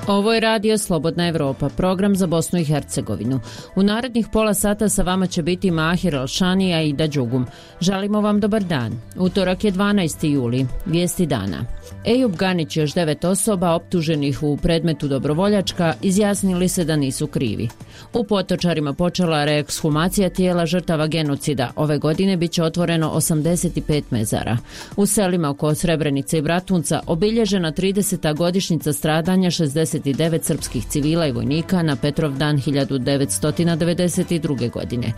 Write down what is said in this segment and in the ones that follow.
Ovo je radio Slobodna Evropa, program za Bosnu i Hercegovinu. U narednih pola sata sa vama će biti Mahir Alšanija i Dađugum. Želimo vam dobar dan. Utorak je 12. juli. Vijesti dana. Ejub Ganić i još 9 osoba optuženih u predmetu Dobrovoljačka izjasnili se da nisu krivi. U Potočarima počela reekshumacija tijela žrtava genocida. Ove godine bit će otvoreno 85 mezara. U selima oko Srebrenice i Bratunca obilježena 30. godišnjica stradanja 69 srpskih civila i vojnika na Petrovdan 1992. godine.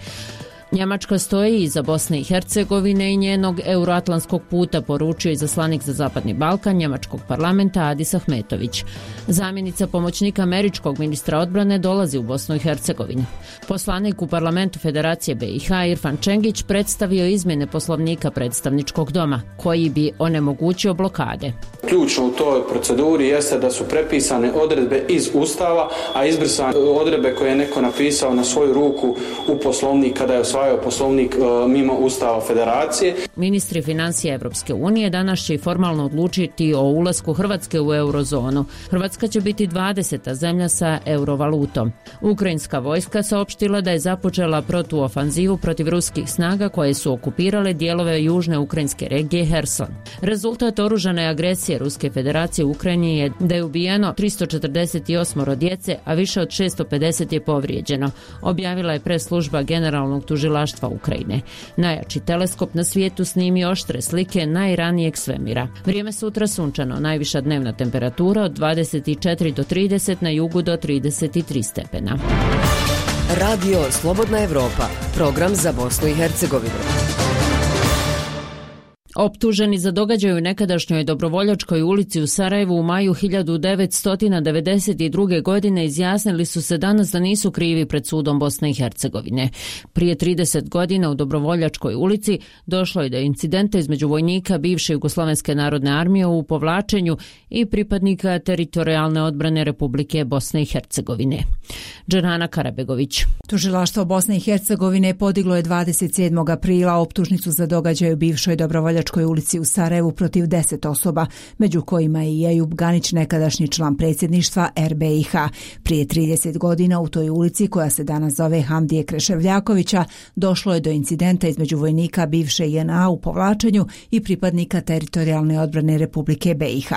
Njemačka stoji iza Bosne i Hercegovine i njenog euroatlantskog puta, poručio izaslanik za Zapadni Balkan njemačkog parlamenta Adis Ahmetović. Zamjenica pomoćnika američkog ministra odbrane dolazi u Bosnu i Hercegovinu. Poslanik u parlamentu Federacije BiH Irfan Čengić predstavio izmjene poslovnika predstavničkog doma, koji bi onemogućio blokade. Ključno u toj proceduri jeste da su prepisane odredbe iz Ustava, a izbrisane odredbe koje je neko napisao na svoju ruku u poslovnik kada je osvajao poslovnik mimo Ustava Federacije. Ministri financija Evropske unije danas će formalno odlučiti o ulasku Hrvatske u eurozonu. Hrvatska će biti 20. zemlja sa eurovalutom. Ukrajinska vojska saopštila da je započela protuofanzivu protiv ruskih snaga koje su okupirale dijelove južne ukrajinske regije Herson. Rezultat oružane agresije Ruske federacije u Ukrajini je da je ubijeno 348 djece, a više od 650 je povrijeđeno, objavila je press-služba generalnog tužilaštva Ukrajine. Najjači teleskop na svijetu snimi oštre slike najranijeg svemira. Vrijeme sutra sunčano, najviša dnevna temperatura od 24 do 30, na jugu do 33 stepena. Radio Slobodna Evropa, program za Bosnu i Hercegovinu. Optuženi za događaj u nekadašnjoj Dobrovoljačkoj ulici u Sarajevu u maju 1992. godine izjasnili su se danas da nisu krivi pred sudom Bosne i Hercegovine. Prije 30 godina u Dobrovoljačkoj ulici došlo je do incidenta između vojnika bivše Jugoslovenske narodne armije u povlačenju i pripadnika teritorijalne odbrane Republike Bosne i Hercegovine. Džanana Karabegović. Tužilaštvo Bosne i Hercegovine podiglo je 27. aprila optužnicu za događaj u bivšoj Dobrovoljačkoj ulici u Sarajevu protiv 10 osoba, među kojima je i Ejub Ganić, nekadašnji član predsjedništva RBiH. Prije 30 godina u toj ulici, koja se danas zove Hamdije Kreševljakovića, došlo je do incidenta između vojnika bivše JNA u povlačenju i pripadnika teritorijalne odbrane Republike BiH.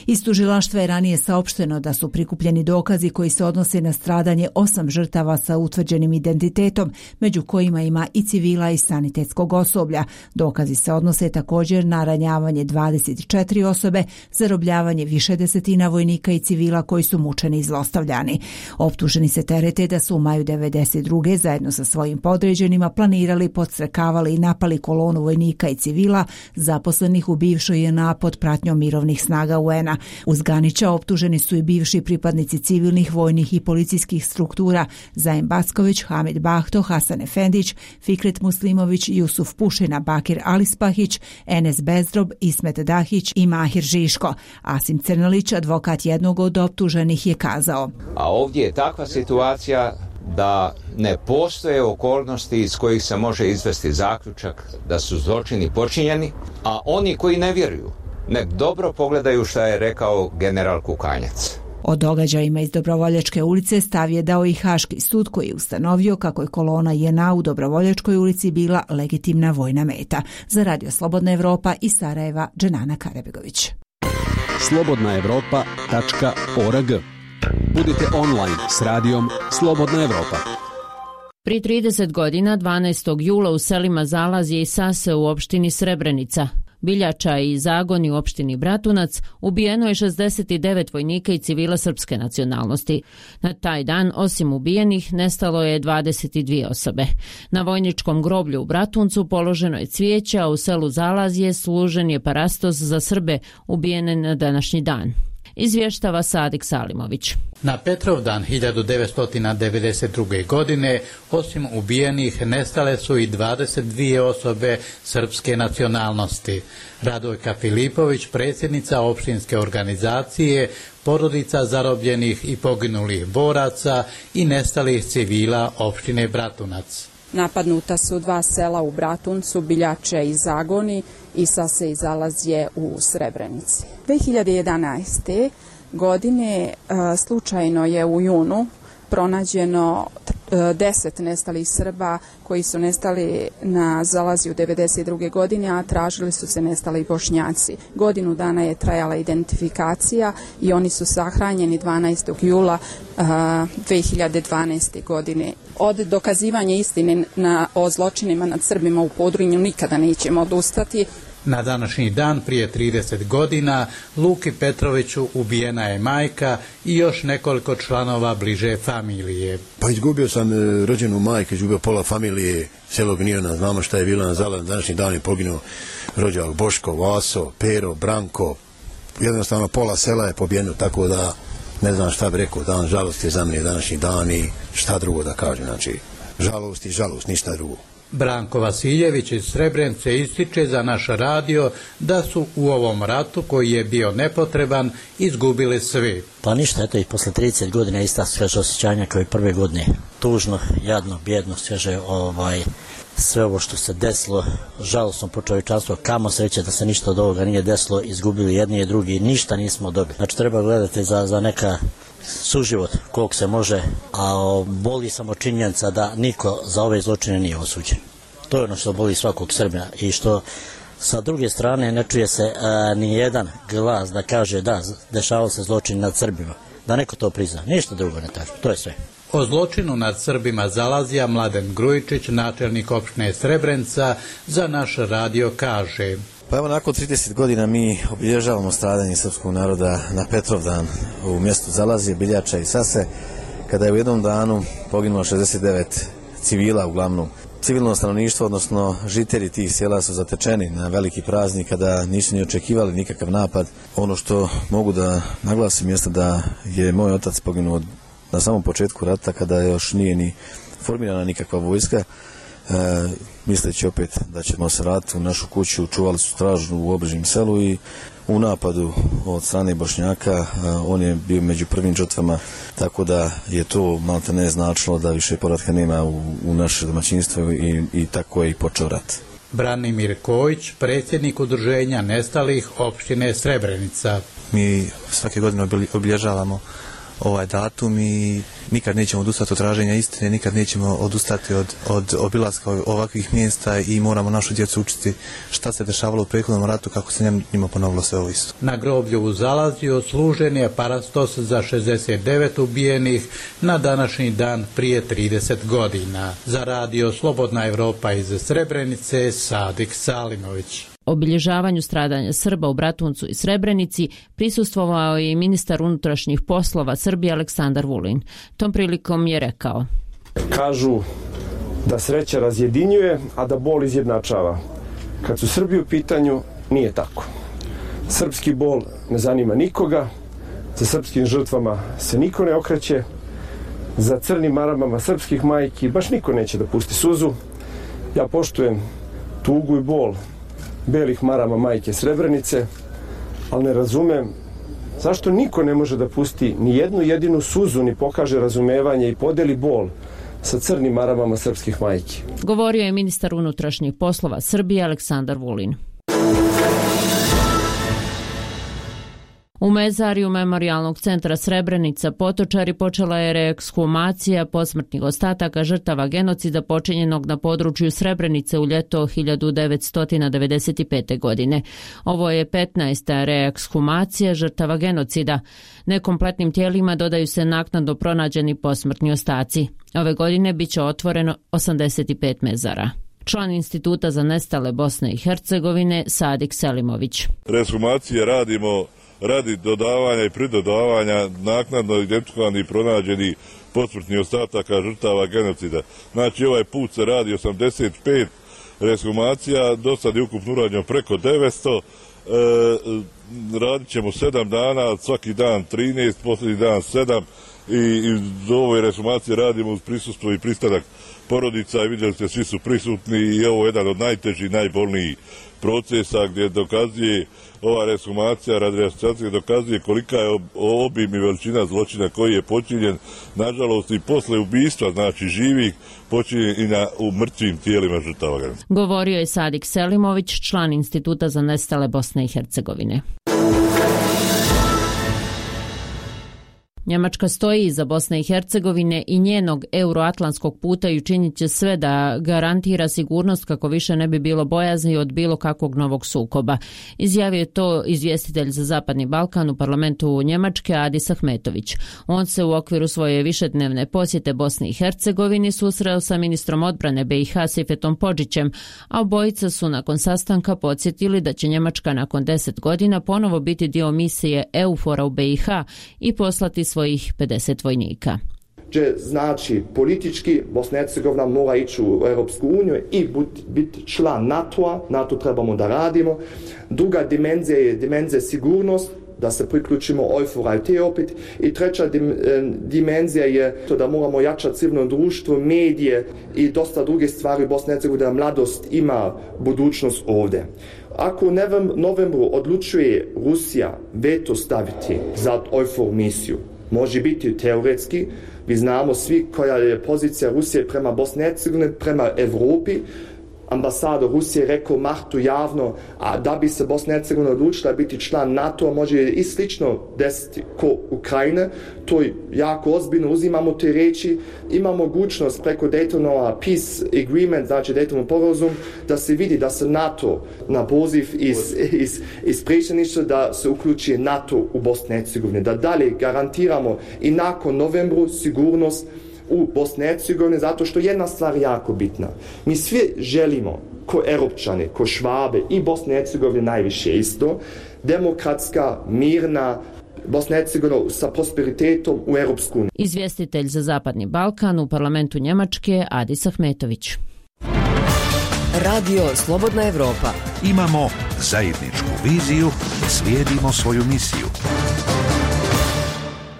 Iz tužilaštva je ranije saopšteno da su prikupljeni dokazi koji se odnose na stradanje 8 žrtava sa utvrđenim identitetom, među kojima ima i civila i sanitetskog osoblja. Dokazi se odnose također na ranjavanje 24 osobe, zarobljavanje više desetina vojnika i civila koji su mučeni i zlostavljani. Optuženi se terete da su u maju 1992. zajedno sa svojim podređenima planirali, podstrekavali i napali kolonu vojnika i civila zaposlenih u bivšoj JNA pod pratnjom mirovnih snaga UN-a. Uz Ganića optuženi su i bivši pripadnici civilnih, vojnih i policijskih struktura Zaim Backović, Hamid Bahto, Hasan Efendić, Fikret Muslimović, Jusuf Pušina, Bakir Alispahić, Enes Bezdrob, Ismet Dahić i Mahir Žiško. Asim Crnolić, advokat jednog od optuženih, je kazao: A ovdje je takva situacija da ne postoje okolnosti iz kojih se može izvesti zaključak da su zločini počinjeni, a oni koji ne vjeruju, nek dobro pogledaju šta je rekao general Kukanjac. O događajima iz Dobrovoljačke ulice stav je dao i Haški sud, koji je ustanovio kako je kolona JNA u Dobrovoljačkoj ulici bila legitimna vojna meta. Za Radio Slobodna Evropa iz Sarajeva, Džanana Karabegović. slobodnaevropa.org. Budite online s radijom Slobodna Evropa. Prije 30 godina, 12. jula u selima Zalazje i Sase u opštini Srebrenica, Biljača i Zagoni u opštini Bratunac ubijeno je 69 vojnika i civila srpske nacionalnosti. Na taj dan, osim ubijenih, nestalo je 22 osobe. Na vojničkom groblju u Bratuncu položeno je cvijeće, a u selu Zalazje služen je parastos za Srbe ubijene na današnji dan. Izvještava Sadik Salimović. Na Petrovdan 1992. godine, osim ubijenih, nestale su i 22 osobe srpske nacionalnosti. Radojka Filipović, predsjednica opštinske organizacije, porodica zarobljenih i poginulih boraca i nestalih civila opštine Bratunac. Napadnuta su 2 sela u Bratuncu, Biljače i Zagoni i Sase i Zalazje u Srebrenici. 2011. godine slučajno je u junu pronađeno 10 nestalih Srba koji su nestali na Zalazju 1992. godine, a tražili su se nestali Bošnjaci. Godinu dana je trajala identifikacija i oni su sahranjeni 12. jula 2012. godine. Od dokazivanja istine o zločinima nad Srbima u Podrinju nikada nećemo odustati. Na današnji dan prije 30 godina Luki Petroviću ubijena je majka i još nekoliko članova bliže familije. Pa izgubio sam rođenu majku, izgubio pola familije, selo Gnjena, znamo šta je bilo na Zalazju. Današnji dan je poginuo rođak Boško, Vaso, Pero, Branko. Jednostavno pola sela je pobijeno, tako da ne znam šta bi rekao, dan žalosti je za mene današnji dan i šta drugo da kažem. Znači, žalost i žalost, ništa drugo. Branko Vasiljević iz Srebrenice ističe za naš radio da su u ovom ratu koji je bio nepotreban izgubili svi. Pa ništa, eto i posle 30 godina ista sveže osjećanja kao i prve godine. Tužno, jadno, bjedno, sveže sve ovo što se desilo, žalosno po čovječanstvu, kamo sreće da se ništa od ovoga nije desilo, izgubili jedni i drugi, ništa nismo dobili. Znači treba gledati za neka suživot koliko se može, a boli samo činjenica da niko za ove zločine nije osuđen. To je ono što boli svakog Srbina i što sa druge strane ne čuje se ni jedan glas da kaže da, dešavao se zločin nad Srbima, da neko to prizna, ništa drugo ne traži, to je sve. O zločinu nad Srbima Zalazja Mladen Grujičić, načelnik opštine Srebrenica, za naš radio kaže: Pa evo, nakon 30 godina mi obilježavamo stradanje srpskog naroda na Petrovdan u mjestu Zalazje, Biljača i Sase, kada je u jednom danu poginulo 69 civila, uglavnom civilno stanovništvo, odnosno žitelji tih sela su zatečeni na veliki praznik kada nisu ni očekivali nikakav napad. Ono što mogu da naglasim jeste da je moj otac poginuo na samom početku rata kada još nije ni formirana nikakva vojska. Misleći opet da ćemo se vratiti u našu kuću, čuvali su stražu u obližnjem selu i u napadu od strane Bošnjaka on je bio među prvim žrtvama, tako da je to malte ne značilo da više povratka nema u naše domaćinstvo i tako je i počeo rat. Branimir Kojić, predsjednik udruženja nestalih opštine Srebrenica. Mi svake godine obilježavamo ovaj datum i nikad nećemo odustati od traženja istine, nikad nećemo odustati od obilaska ovakvih mjesta i moramo našu djecu učiti šta se dešavalo u prethodnom ratu, kako se njima ponovilo sve ovo isto. Na groblju u Zalazju služen je parastos za 69 ubijenih na današnji dan prije 30 godina. Za radio Slobodna Evropa iz Srebrenice, Sadik Salimović. Obilježavanju stradanja Srba u Bratuncu i Srebrenici prisustvovao je i ministar unutrašnjih poslova Srbije Aleksandar Vulin. Tom prilikom je rekao: Kažu da sreća razjedinjuje, a da bol izjednačava. Kad su Srbi u pitanju, nije tako. Srpski bol ne zanima nikoga, za srpskim žrtvama se niko ne okreće, za crnim maramama srpskih majki baš niko neće da pusti suzu. Ja poštujem tugu i bol belih marama majke Srebrenice, ali ne razumem zašto niko ne može da pusti ni jednu jedinu suzu, ni pokaže razumevanje i podeli bol sa crnim maramama srpskih majki. Govorio je ministar unutrašnjih poslova Srbije Aleksandar Vulin. U mezariju Memorijalnog centra Srebrenica Potočari počela je reekshumacija posmrtnih ostataka žrtava genocida počinjenog na području Srebrenice u ljeto 1995. godine. Ovo je 15. reekshumacija žrtava genocida. Nekompletnim tijelima dodaju se naknadno pronađeni posmrtni ostaci. Ove godine biće otvoreno 85 mezara. Član Instituta za nestale Bosne i Hercegovine Sadik Selimović. Reekshumacije radimo radi dodavanja i pridodavanja naknadno identifikovanih i pronađenih posmrtnih ostataka žrtava genocida. Znači ovaj put se radi 85 reekshumacija, do sad je ukupno urađeno preko 900, radit ćemo 7 dana, svaki dan 13, posljednji dan 7 i do ove reekshumacije radimo uz prisustvo i pristanak porodica i vidjeli ste, svi su prisutni i ovo je jedan od najtežih, najbolnijih procesa gdje dokazuje ova resumacija, radioaktivacija dokazuje kolika je obim i veličina zločina koji je počinjen, nažalost i posle ubistva, znači živih, počinjen i u mrtvim tijelima žrtava. Govorio je Sadik Selimović, član Instituta za nestale Bosne i Hercegovine. Njemačka stoji iza Bosne i Hercegovine i njenog euroatlantskog puta i učinit će sve da garantira sigurnost kako više ne bi bilo bojazni od bilo kakvog novog sukoba. Izjavio je to izvjestitelj za Zapadni Balkan u parlamentu Njemačke Adis Ahmetović. On se u okviru svoje višednevne posjete Bosni i Hercegovini susreo sa ministrom odbrane BiH Sifetom Podžićem, a obojica su nakon sastanka podsjetili da će Njemačka nakon 10 godina ponovo biti dio misije EUFOR-a u BiH i poslati svojih 50 vojnika. Znači, politički Bosna i Hercegovina mora ići u Europsku uniju i biti član NATO-a. NATO trebamo da radimo. Druga dimenzija je dimenzija sigurnost, da se priključimo EUFOR-a i te opet. I treća dimenzija je to da moramo jačati civilno društvo, medije i dosta druge stvari u Bosni i Hercegovini, da mladost ima budućnost ovdje. Ako u novembru odlučuje Rusija veto staviti za EUFOR misiju, može biti teoretski, vi znamo svi koja je pozicija Rusije prema Bosni i Hercegovini, prema Evropi. Ambasador Rusije rekao Martu javno, a da bi se Bosna i Hercegovina odlučila biti član NATO, može i slično desiti ko Ukrajine. To je jako ozbiljno, uzimamo te reči, ima mogućnost preko Daytonova Peace Agreement, znači Daytonov sporazum, da se vidi da se NATO na poziv iz predsjedništva da se uključi NATO u Bosni i Hercegovini, da dalje garantiramo i nakon novembru sigurnost u Bosni i Hercegovini, zato što jedna stvar je jako bitna. Mi svi želimo, ko Europčani, ko Švabe i Bosni i Hercegovini najviše isto, demokratska, mirna Bosna i Hercegovina sa prosperitetom u Europsku uniju. Izvjestitelj za Zapadni Balkan u parlamentu Njemačke Adis Ahmetović. Radio Slobodna Evropa. Imamo zajedničku viziju, slijedimo svoju misiju.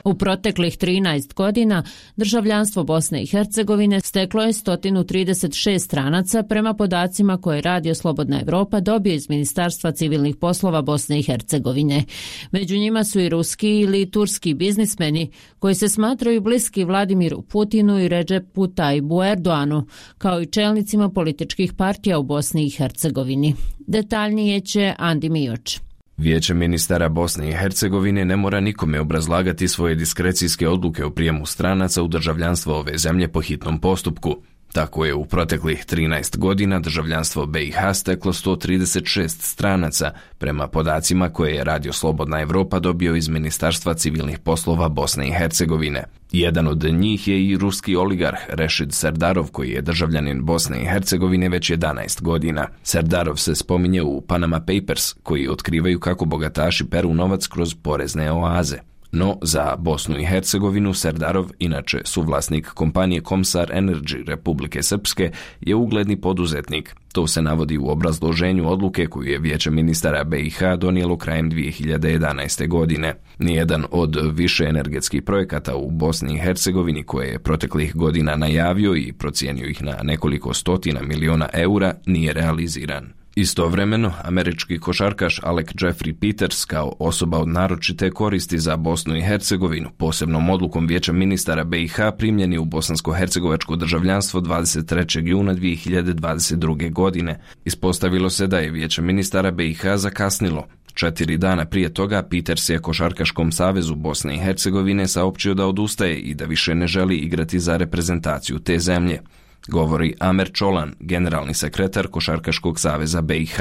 U proteklih 13 godina državljanstvo Bosne i Hercegovine steklo je 136 stranaca prema podacima koje Radio Slobodna Evropa dobio iz Ministarstva civilnih poslova Bosne i Hercegovine. Među njima su i ruski ili turski biznismeni koji se smatraju bliski Vladimiru Putinu i Redžepu Tajipu Erdoanu, kao i čelnicima političkih partija u Bosni i Hercegovini. Detaljnije će Andi Mioč. Vijeće ministara Bosne i Hercegovine ne mora nikome obrazlagati svoje diskrecijske odluke o prijemu stranaca u državljanstvo ove zemlje po hitnom postupku. Tako je u proteklih 13 godina državljanstvo BiH steklo 136 stranaca, prema podacima koje je Radio Slobodna Evropa dobio iz Ministarstva civilnih poslova Bosne i Hercegovine. Jedan od njih je i ruski oligarh Rešid Serdarov, koji je državljanin Bosne i Hercegovine već 11 godina. Serdarov se spominje u Panama Papers, koji otkrivaju kako bogataši peru novac kroz porezne oaze. No, za Bosnu i Hercegovinu Serdarov, inače suvlasnik kompanije Komsar Energy Republike Srpske, je ugledni poduzetnik. To se navodi u obrazloženju odluke koju je Vijeće ministara BiH donijelo krajem 2011. godine. Nijedan od više energetskih projekata u Bosni i Hercegovini koje je proteklih godina najavio i procijenio ih na nekoliko stotina miliona eura nije realiziran. Istovremeno, američki košarkaš Alec Jeffrey Peters kao osoba od naročite koristi za Bosnu i Hercegovinu posebnom odlukom Vijeća ministara BiH primljen je u bosansko-hercegovačko državljanstvo 23. juna 2022. godine. Ispostavilo se da je Vijeće ministara BiH zakasnilo. 4 dana prije toga Peters je Košarkaškom savezu Bosne i Hercegovine saopćio da odustaje i da više ne želi igrati za reprezentaciju te zemlje. Govori Amer Čolan, generalni sekretar Košarkaškog saveza BiH.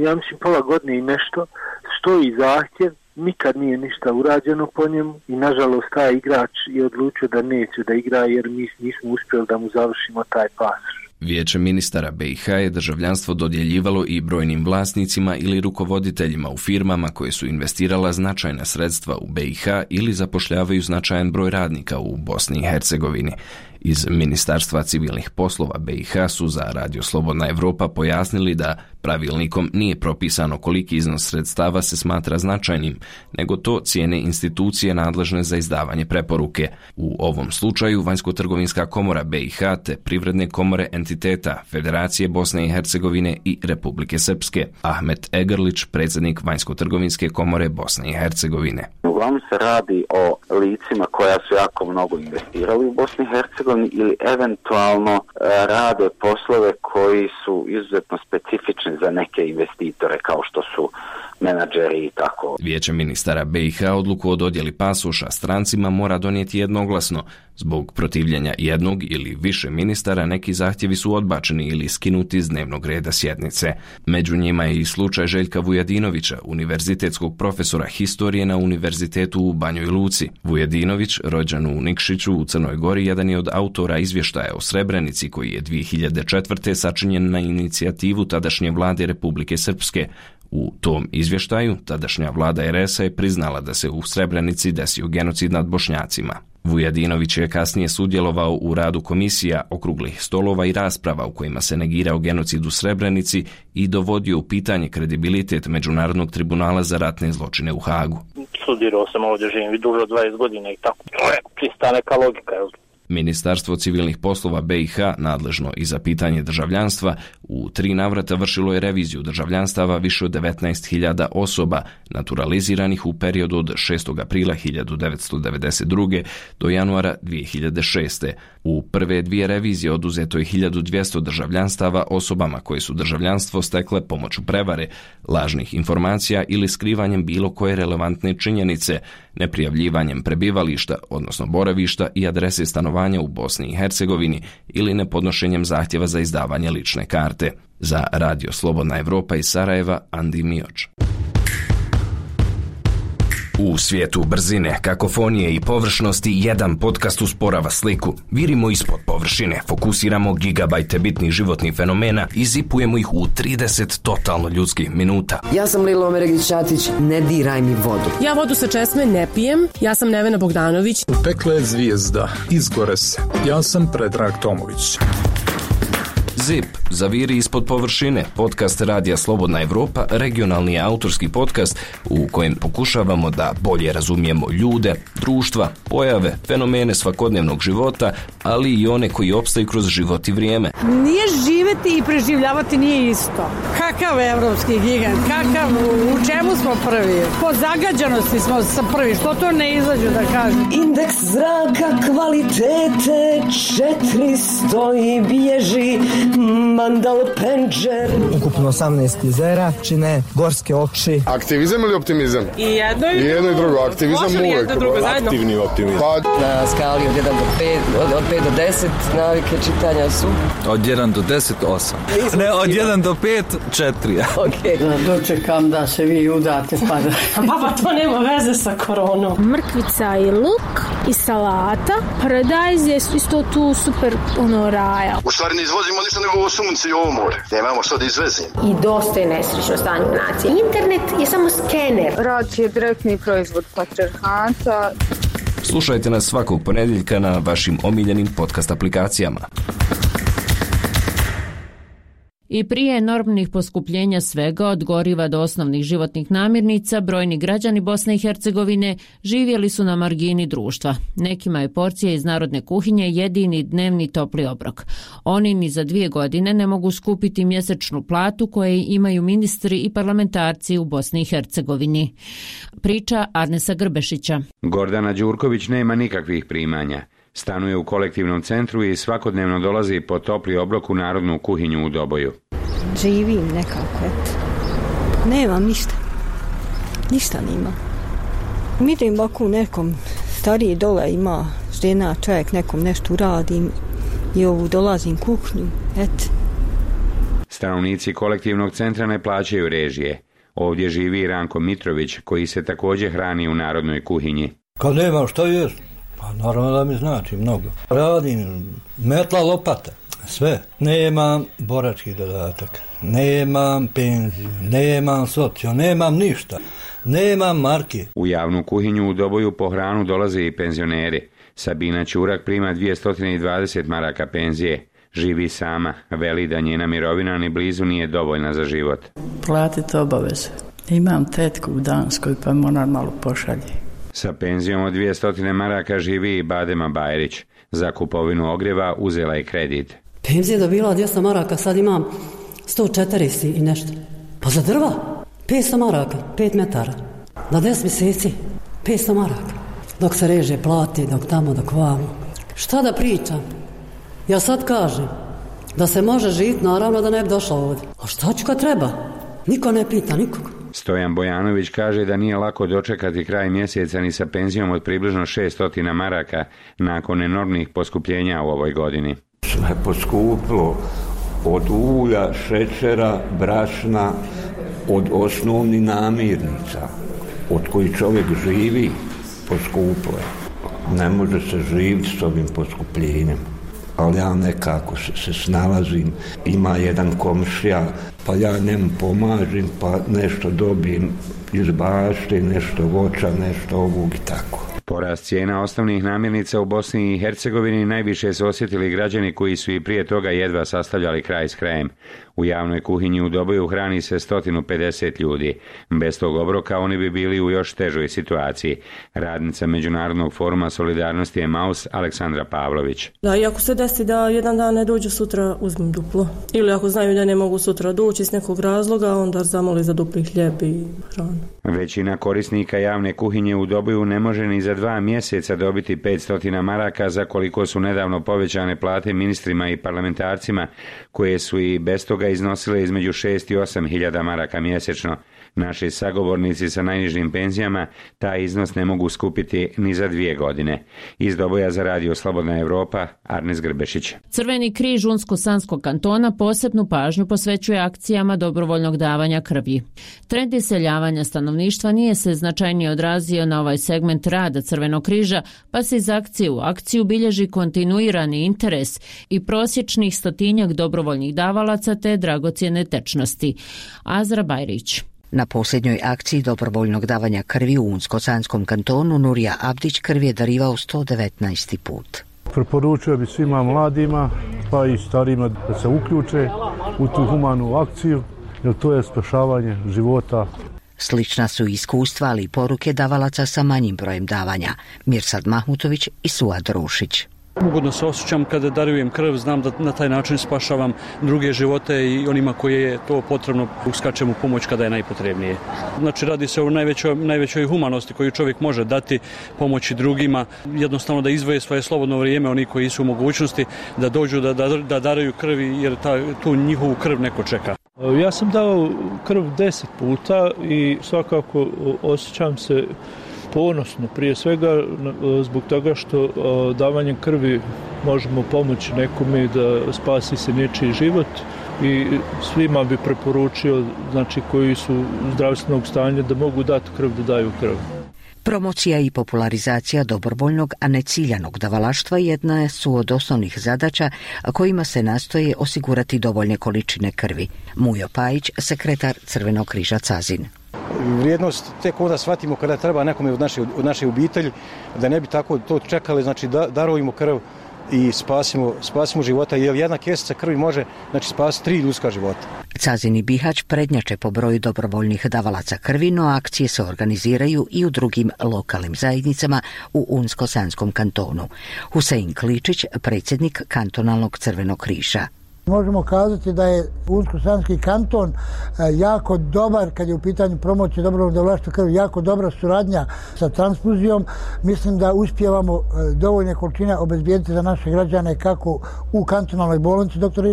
Ja mislim pola godine i nešto, stoji zahtjev, nikad nije ništa urađeno po njemu i nažalost taj igrač je odlučio da neće da igra jer mi nismo uspjeli da mu završimo taj pasoš. Vijeće ministara BiH je državljanstvo dodjeljivalo i brojnim vlasnicima ili rukovoditeljima u firmama koje su investirala značajna sredstva u BiH ili zapošljavaju značajan broj radnika u Bosni i Hercegovini. Iz Ministarstva civilnih poslova BiH su za Radio Slobodna Evropa pojasnili da pravilnikom nije propisano koliki iznos sredstava se smatra značajnim, nego to cijene institucije nadležne za izdavanje preporuke. U ovom slučaju Vanjsko-trgovinska komora BiH te privredne komore entiteta Federacije Bosne i Hercegovine i Republike Srpske. Ahmet Egrlić, predsjednik Vanjsko-trgovinske komore Bosne i Hercegovine. Uglavnom se radi o licima koja su jako mnogo investirali u Bosni i Hercegovini ili eventualno rade poslove koji su izuzetno specifični za neke investitore kao što su menadžeri i tako. Vijeće ministara BiH odluku o dodjeli pasoša strancima mora donijeti jednoglasno. Zbog protivljenja jednog ili više ministara neki zahtjevi su odbačeni ili skinuti iz dnevnog reda sjednice. Među njima je i slučaj Željka Vujadinovića, univerzitetskog profesora historije na Univerzitetu u Banjoj Luci. Vujadinović, rođen u Nikšiću u Crnoj Gori, jedan je od autora izvještaja o Srebrenici koji je 2004. sačinjen na inicijativu tadašnje vlade Republike Srpske. U tom izvještaju tadašnja vlada RS-a je priznala da se u Srebrenici desio genocid nad Bošnjacima. Vujadinović je kasnije sudjelovao u radu komisija, okruglih stolova i rasprava u kojima se negirao genocid u Srebrenici i dovodio u pitanje kredibilitet Međunarodnog tribunala za ratne zločine u Hagu. Studirao sam ovdje, živim duže od 20 godina i tako. To je čista neka logika, jel? Ministarstvo civilnih poslova BiH, nadležno i za pitanje državljanstva, u 3 navrata vršilo je reviziju državljanstava više od 19.000 osoba naturaliziranih u periodu od 6. aprila 1992. do januara 2006. U prve 2 revizije oduzeto je 1200 državljanstava osobama koje su državljanstvo stekle pomoću prevare, lažnih informacija ili skrivanjem bilo koje relevantne činjenice, neprijavljivanjem prebivališta, odnosno boravišta i adrese stanovanja u Bosni i Hercegovini ili nepodnošenjem zahtjeva za izdavanje lične karte. Za Radio Slobodna Evropa iz Sarajeva, Andi Mioč. U svijetu brzine, kakofonije i površnosti jedan podcast usporava sliku. Virimo ispod površine, fokusiramo gigabajte bitnih životnih fenomena i zipujemo ih u 30 totalno ljudskih minuta. Ja sam Lilo Omeregić-Ćatić, ne diraj mi vodu. Ja vodu sa česme ne pijem, ja sam Nevena Bogdanović. Pekla je zvijezda, izgore se. Ja sam Predrag Tomović. ZIP, zaviri ispod površine, podcast Radija Slobodna Evropa, regionalni autorski podcast u kojem pokušavamo da bolje razumijemo ljude, društva, pojave, fenomene svakodnevnog života, ali i one koji opstaju kroz život i vrijeme. Nije živjeti i preživljavati nije isto. Kakav evropski gigant, kakav, u čemu smo prvi? Po zagađanosti smo prvi, što to ne izađu da kažem? Indeks zraka kvalitete 400 i bježi Mandal Penđer. Ukupno 18 jezera čine gorske oči. Aktivizam ili optimizam? I jedno i drugo. Aktivizam uvijek. Aktivni optimizam. Na skali od 1 do 5, od 5 do 10 navike čitanja su? Od 1 do 10, 8. Ne, od 1 do 5, 4. Okay. Dočekam da se vi udate pa da... Baba, to nema veze sa koronom. Mrkvica i luk i salata. Paradajz je isto tu super raja. U stvari ne izvozimo ništa nego ovo sunce i ovo more. Nemamo što da izvezimo. I dosta je nesrećno stanje u naciji. Internet je samo skener. Rad je direktni proizvod patrijarhata. Slušajte nas svakog ponedjeljka na vašim omiljenim podcast aplikacijama. I prije enormnih poskupljenja svega od goriva do osnovnih životnih namirnica, brojni građani Bosne i Hercegovine živjeli su na margini društva. Nekima je porcija iz narodne kuhinje jedini dnevni topli obrok. Oni ni za 2 godine ne mogu skupiti mjesečnu platu koje imaju ministri i parlamentarci u Bosni i Hercegovini. Priča Arnesa Grbešića. Gordana Đurković nema nikakvih primanja. Stanuje u kolektivnom centru i svakodnevno dolazi po topli obrok u narodnu kuhinju u Doboju. Živim nekako, eto. Nemam ništa. Ništa nima. Vidim ovako nekom stariji dole ima žena, čovjek nekom nešto uradim i ovu dolazim kuhnju, eto. Stanovnici kolektivnog centra ne plaćaju režije. Ovdje živi Ranko Mitrović, koji se također hrani u narodnoj kuhinji. Kad nemam što jest, pa naravno da mi znači mnogo. Radim metla, lopata, sve. Nemam borački dodatak, nemam penziju, nemam socijalno, nemam ništa, nemam marke. U javnu kuhinju u Doboju po hranu dolaze i penzioneri. Sabina Ćurak prima 220 maraka penzije. Živi sama, veli da njena mirovina ni blizu nije dovoljna za život. Platiti obaveze. Imam tetku u Danskoj pa moram malo pošalje. Sa penzijom od 200 maraka živi i Badema Bajrić. Za kupovinu ogrijeva uzela je kredit. Penzija je dobila 200 maraka, sad imam 140 i nešto. Pa za drva 500 maraka, 5 metara. Na 10 mjeseci 500 maraka. Dok se reže, plati, dok tamo, dok vamo. Šta da pričam? Ja sad kažem da se može živjeti, naravno da ne bi došla ovdje. A šta ću kad treba? Niko ne pita nikog. Stojan Bojanović kaže da nije lako dočekati kraj mjeseca ni sa penzijom od približno 600 maraka nakon enormnih poskupljenja u ovoj godini. Sve poskuplo, od ulja, šećera, brašna, od osnovnih namirnica, od kojih čovjek živi, poskuplo je. Ne može se živjeti s ovim poskupljenjem, ali ja nekako se snalazim. Ima jedan komšija, pa ja njemu pomažem, pa nešto dobijem iz bašte, nešto voća, nešto ovog i tako. Porast cijena osnovnih namirnica u Bosni i Hercegovini najviše su osjetili građani koji su i prije toga jedva sastavljali kraj s krajem. U javnoj kuhinji u Doboju hrani se 150 ljudi. Bez tog obroka oni bi bili u još težoj situaciji. Radnica Međunarodnog foruma solidarnosti Emaus Aleksandra Pavlović. Da, i ako se desi da jedan dan ne dođu, sutra uzmem duplo. Ili ako znaju da ne mogu sutra doći iz nekog razloga, onda zamoli za dupli hljeb i hranu. Većina korisnika javne kuhinje u Doboju ne može ni za 2 mjeseca dobiti 500 maraka za koliko su nedavno povećane plate ministrima i parlamentarcima, koje su i bez toga iznosile između 6 i 8 hiljada maraka mjesečno. Naši sagovornici sa najnižim penzijama taj iznos ne mogu skupiti ni za 2 godine. Iz Doboja za Radio Slobodna Evropa, Arnes Grbešić. Crveni križ Unsko-Sanskog kantona posebnu pažnju posvećuje akcijama dobrovoljnog davanja krvi. Trend iseljavanja stanovništva nije se značajnije odrazio na ovaj segment rada Crvenog križa, pa se iz akcije u akciju bilježi kontinuirani interes i prosječnih 100 dobrovoljnih davalaca te dragocjene tečnosti. Azra Bajrić. Na posljednjoj akciji dobrovoljnog davanja krvi u Unsko-Sanskom kantonu Nurija Abdić krv je darivao 119. put. Preporučio bi svima mladima pa i starima da se uključe u tu humanu akciju, jer to je spašavanje života. Slična su iskustva, ali i poruke davalaca sa manjim brojem davanja. Mirsad Mahmutović i Suad Rušić. Ugodno se osjećam kada darujem krv, znam da na taj način spašavam druge živote i onima koje je to potrebno uskačem u pomoć kada je najpotrebnije. Znači radi se o najvećoj humanosti koju čovjek može dati, pomoći drugima, jednostavno da izdvoje svoje slobodno vrijeme, oni koji su u mogućnosti da dođu da daruju krv jer tu njihovu krv neko čeka. Ja sam dao krv 10 puta i svakako osjećam se ponosno, prije svega zbog toga što davanjem krvi možemo pomoći nekome da spasi se nečiji život i svima bi preporučio, znači koji su zdravstvenog stanja, da mogu dati krv, da daju krv. Promocija i popularizacija dobrovoljnog, a ne ciljanog davalaštva jedna su od osnovnih zadaća kojima se nastoje osigurati dovoljne količine krvi. Mujo Pajić, sekretar Crvenog križa Cazin. Vrijednost tek onda shvatimo kada treba nekome od naše obitelji, da ne bi tako to čekali, znači darujemo krv i spasimo života, jer jedna kesica krvi može spasiti 3 ljudska života. Cazin i Bihać prednjače po broju dobrovoljnih davalaca krvi, no akcije se organiziraju i u drugim lokalnim zajednicama u Unsko-Sanskom kantonu. Husein Kličić, predsjednik kantonalnog Crvenog križa. Možemo kazati da je Unsko-Sanski kanton jako dobar kad je u pitanju promocije dobrovoljnog davalaštva krvi, jako dobra suradnja sa transfuzijom. Mislim da uspijevamo dovoljne količine obezbijediti za naše građane kako u kantonalnoj bolnici dr.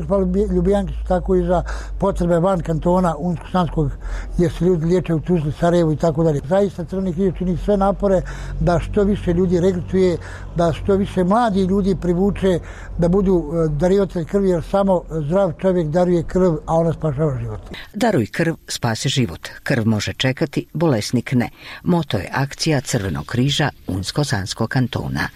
Ljubijankić, tako i za potrebe van kantona Unsko-Sanskog, gdje se ljudi liječe u Tuzli, Sarajevu i tako dalje. Zaista Crveni križ čini sve napore da što više ljudi regrutuje, da što više mladi ljudi privuče da budu darivatelji krvi, jer samo zdrav čovjek daruje krv, a ona spašava život. Daruj krv, spasi život. Krv može čekati, bolesnik ne. Moto je akcija Crvenog križa Unsko-Sanskog kantona.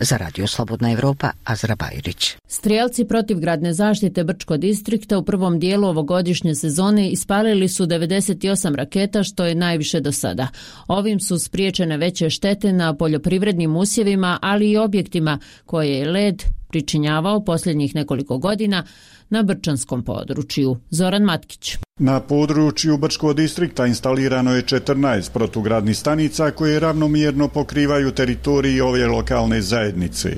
Za Radio Slobodna Evropa, Azra Bajrić. Strijelci protivgradne zaštite Brčko distrikta u prvom dijelu ovogodišnje sezone ispalili su 98 raketa, što je najviše do sada. Ovim su spriječene veće štete na poljoprivrednim usjevima, ali i objektima koje je led pričinjavao posljednjih nekoliko godina na brčanskom području. Zoran Matkić. Na području Brčkog distrikta instalirano je 14 protugradnih stanica koje ravnomjerno pokrivaju teritoriji ove lokalne zajednice.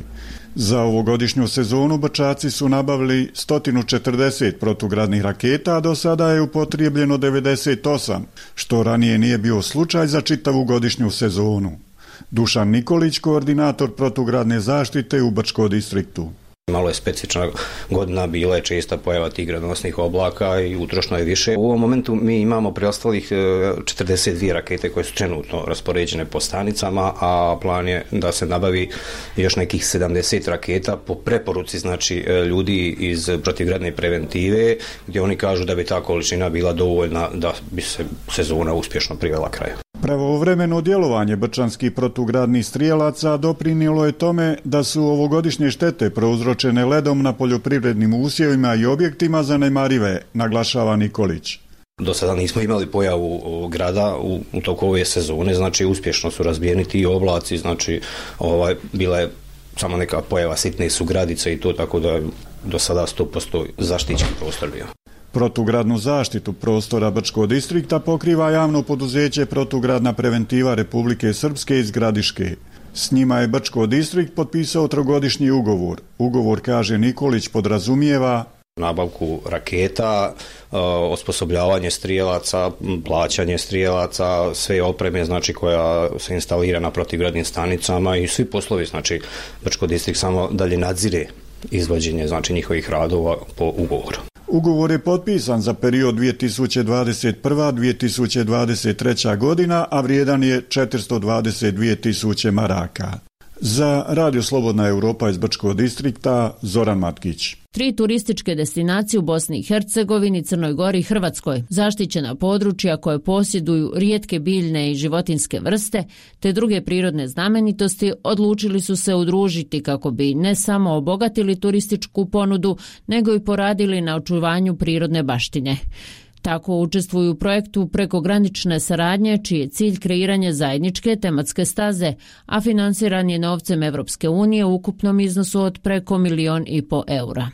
Za ovogodišnju sezonu Brčaci su nabavili 140 protugradnih raketa, a do sada je upotrijebljeno 98, što ranije nije bio slučaj za čitavu godišnju sezonu. Dušan Nikolić, koordinator protugradne zaštite u Brčkom distriktu. Malo je specifična godina, bila je česta pojava tih gradonosnih oblaka i utrošno je više. U ovom momentu mi imamo preostalih 42 rakete koje su trenutno raspoređene po stanicama, a plan je da se nabavi još nekih 70 raketa po preporuci, znači ljudi iz protivgradne preventive, gdje oni kažu da bi ta količina bila dovoljna da bi se sezona uspješno privela kraju. Pravovremeno djelovanje brčanskih protugradnih strijelaca doprinijelo je tome da su ovogodišnje štete prouzročene ledom na poljoprivrednim usjevima i objektima zanemarive, naglašava Nikolić. Do sada nismo imali pojavu grada u toku ove sezone, znači uspješno su razbijeni ti oblaci, znači bila je samo neka pojava sitne sugradice i to, tako da do sada 100% zaštićen prostor bio. Protugradnu zaštitu prostora Brčkog distrikta pokriva javno poduzeće Protugradna preventiva Republike Srpske iz Gradiške. S njima je Brčko distrikt potpisao trogodišnji ugovor. Ugovor, kaže Nikolić, podrazumijeva nabavku raketa, osposobljavanje strijelaca, plaćanje strijelaca, sve opreme, znači, koja se instalira na protivgradnim stanicama i svi poslovi, znači Brčko distrikt samo dalje nadzire izvođenje, znači, njihovih radova po ugovoru. Ugovor je potpisan za period 2021-2023. godina, a vrijedan je 422.000 maraka. Za Radio Slobodna Evropa iz Brčkog distrikta, Zoran Matkić. 3 turističke destinacije u Bosni i Hercegovini, Crnoj Gori i Hrvatskoj, zaštićena područja koje posjeduju rijetke biljne i životinjske vrste te druge prirodne znamenitosti, odlučili su se udružiti kako bi ne samo obogatili turističku ponudu, nego i poradili na očuvanju prirodne baštine. Tako učestvuju u projektu prekogranične saradnje, čiji je cilj kreiranje zajedničke tematske staze, a finansiran je novcem Evropske unije u ukupnom iznosu od preko 1,5 miliona eura.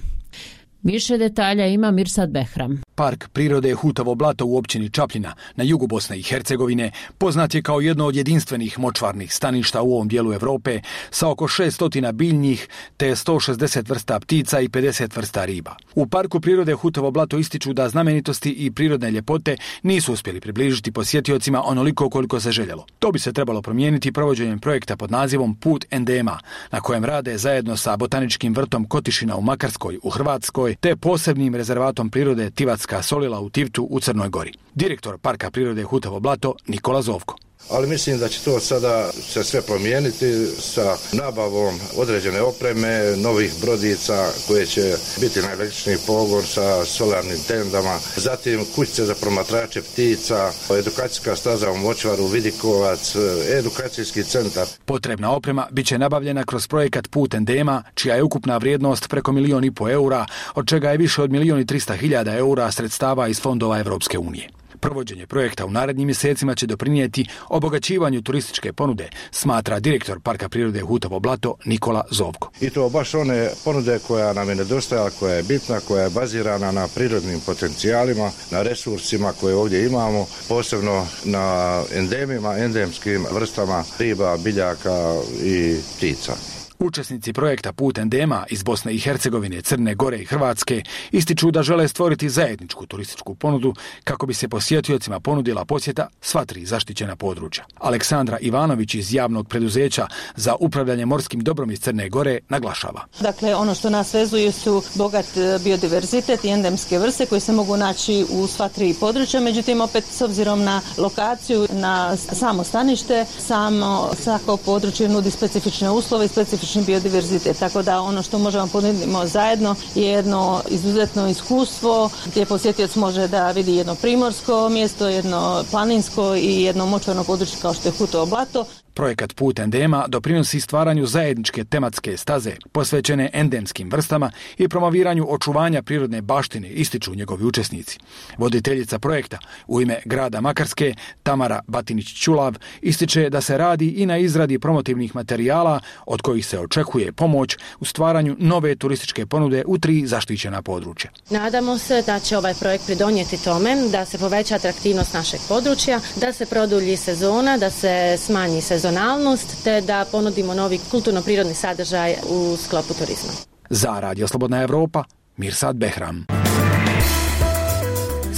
Više detalja ima Mirsad Behram. Park prirode Hutovo blato u općini Čapljina na jugu Bosne i Hercegovine poznat je kao jedno od jedinstvenih močvarnih staništa u ovom dijelu Europe sa oko 600 biljnih te 160 vrsta ptica i 50 vrsta riba. U Parku prirode Hutovo blato ističu da znamenitosti i prirodne ljepote nisu uspjeli približiti posjetiocima onoliko koliko se željelo. To bi se trebalo promijeniti provođenjem projekta pod nazivom Put endema, na kojem rade zajedno sa botaničkim vrtom Kotišina u Makarskoj u Hrvatskoj te posebnim rezervatom prirode Tivatska solila u Tivtu u Crnoj Gori. Direktor Parka prirode Hutovo blato Nikola Zovko. Ali mislim da će to sada se sve promijeniti sa nabavom određene opreme, novih brodica koje će biti na električni pogon sa solarnim tendama, zatim kućice za promatrače ptica, edukacijska staza u Močvaru, Vidikovac, edukacijski centar. Potrebna oprema bit će nabavljena kroz projekat Put endema, čija je ukupna vrijednost preko 1,5 miliona eura, od čega je više od 1,3 miliona eura sredstava iz fondova Evropske unije. Provođenje projekta u narednim mjesecima će doprinijeti obogaćivanju turističke ponude, smatra direktor Parka prirode Hutovo blato Nikola Zovko. I to baš one ponude koja nam je nedostajala, koja je bitna, koja je bazirana na prirodnim potencijalima, na resursima koje ovdje imamo, posebno na endemima, endemskim vrstama riba, biljaka i ptica. Učesnici projekta Put endema iz Bosne i Hercegovine, Crne Gore i Hrvatske ističu da žele stvoriti zajedničku turističku ponudu kako bi se posjetiocima ponudila posjeta sva 3 zaštićena područja. Aleksandra Ivanović iz javnog preduzeća za upravljanje morskim dobrom iz Crne Gore naglašava. Dakle, ono što nas vezuje su bogat biodiverzitet i endemske vrste koje se mogu naći u sva 3 područja, međutim opet s obzirom na lokaciju, na samo stanište, samo svako područje nudi specifične uslove i specifične biodiverzitet, tako da ono što možemo ponuditi zajedno je jedno izuzetno iskustvo gdje posjetioc može da vidi jedno primorsko mjesto, jedno planinsko i jedno močvarno područje kao što je Hutovo blato. Projekat Put endema doprinosi stvaranju zajedničke tematske staze posvećene endemskim vrstama i promoviranju očuvanja prirodne baštine, ističu njegovi učesnici. Voditeljica projekta u ime grada Makarske, Tamara Batinić-Ćulav, ističe da se radi i na izradi promotivnih materijala od kojih se očekuje pomoć u stvaranju nove turističke ponude u 3 zaštićena područja. Nadamo se da će ovaj projekt pridonijeti tome da se poveća atraktivnost našeg područja, da se produlji sezona, da se smanji sezonalnost te da ponudimo novi kulturno-prirodni sadržaj u sklopu turizma. Za Radio Slobodna Evropa, Mirsad Behram.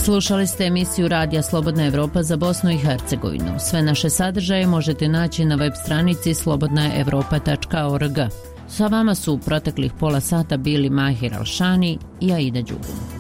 Slušali ste emisiju Radija Slobodna Evropa za Bosnu i Hercegovinu. Sve naše sadržaje možete naći na web stranici slobodnaevropa.org. Sa vama su u proteklih pola sata bili Mahir Alšani i Aida Đugum.